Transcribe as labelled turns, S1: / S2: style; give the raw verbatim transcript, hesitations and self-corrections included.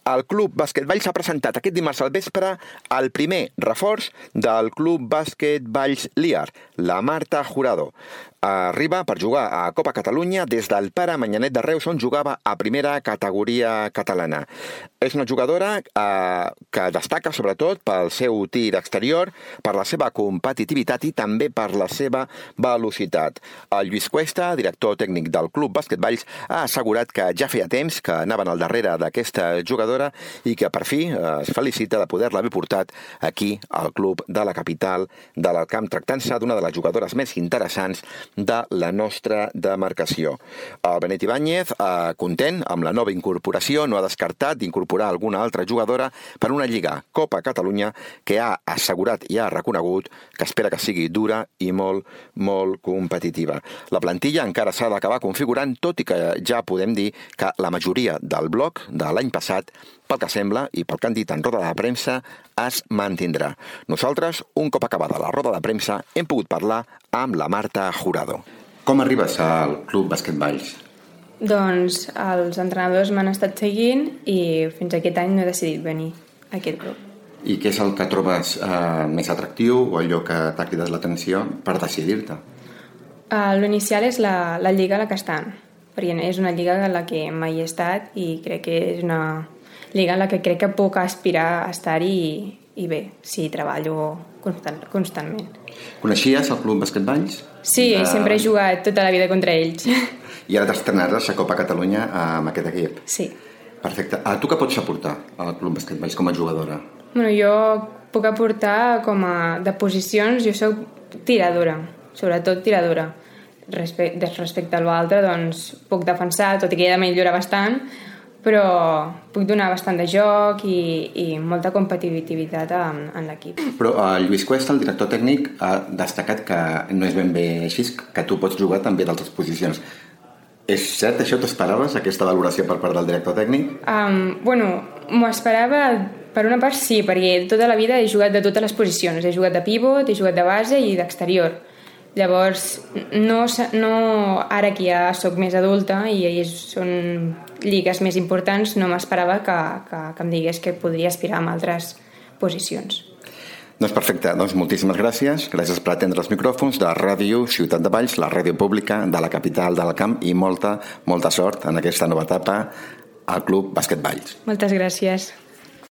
S1: el Club Bàsquet Valls ha presentat aquest dimarts al vespre el primer reforç del Club Bàsquet Valls Liar, la Marta Jurado. Arriba per jugar a Copa Catalunya des del Pare Manyanet de Reus, on jugava a primera categoria catalana. És una jugadora eh, que destaca sobretot pel seu tir exterior, per la seva competitivitat i també per la seva velocitat. El Lluís Cuesta, director tècnic del Club Bàsquet Valls, ha assegurat que ja feia temps que anaven al darrere d'aquesta jugadora i que per fi eh, es felicita de poder-la haver portat aquí al club de la capital de l'Alcamp, tractant-se d'una de les jugadores més interessants de la nostra demarcació. El Benet Ibáñez, eh, content amb la nova incorporació, no ha descartat d'incorporar alguna altra jugadora per una lliga Copa Catalunya que ha assegurat i ha reconegut que espera que sigui dura i molt, molt competitiva. La plantilla encara s'ha d'acabar configurant, tot i que ja podem dir que la majoria del bloc de l'any passat, pel que sembla i pel que han dit en roda de premsa, es mantindrà. Nosaltres, un cop acabada la roda de premsa, hem pogut parlar amb la Marta Jurado. Com arribes al Club Bàsquet Valls?
S2: Doncs els entrenadors m'han estat seguint i fins aquest any no he decidit venir a aquest club.
S1: I què és el que trobes eh, més atractiu o allò que t'ha cridat l'atenció per decidir-te?
S2: Uh, L'inicial és la, la lliga a la que estan, perquè és una lliga en la que mai he estat i crec que és una lliga en la que crec que puc aspirar a estar-hi i, i bé, sí, treballo constant, constantment.
S1: Coneixies el Club Bàsquet Valls?
S2: Sí, de... sempre he jugat tota la vida contra ells.
S1: I ara t'estrenaràs a Copa Catalunya amb aquest equip?
S2: Sí.
S1: Perfecte. A tu què pots aportar al Club Bàsquet Valls com a jugadora?
S2: Bueno, jo puc aportar com a de posicions, jo soc tiradora, sobretot tiradora. Respecte, respecte a l'altre, doncs puc defensar, tot i que he de millorar bastant, però puc donar bastant de joc i, i molta competitivitat en, en l'equip. Però
S1: el Lluís Cuesta, el director tècnic, ha destacat que no és ben bé així, que tu pots jugar també d'altres posicions. És cert, això t'esperaves, aquesta valoració per part del director tècnic?
S2: Um, bueno, m'ho esperava per una part sí, perquè tota la vida he jugat de totes les posicions. He jugat de pivot, he jugat de base i d'exterior. Llavors, no, no, ara que ja sóc més adulta i són lligues més importants, no m'esperava que, que, que em digués que podria aspirar a altres posicions.
S1: Doncs perfecte, doncs moltíssimes gràcies. Gràcies per atendre els micròfons de Ràdio Ciutat de Valls, la ràdio pública de la capital de l'Alcamp, i molta, molta sort en aquesta nova etapa al Club Bàsquet Valls.
S2: Moltes gràcies.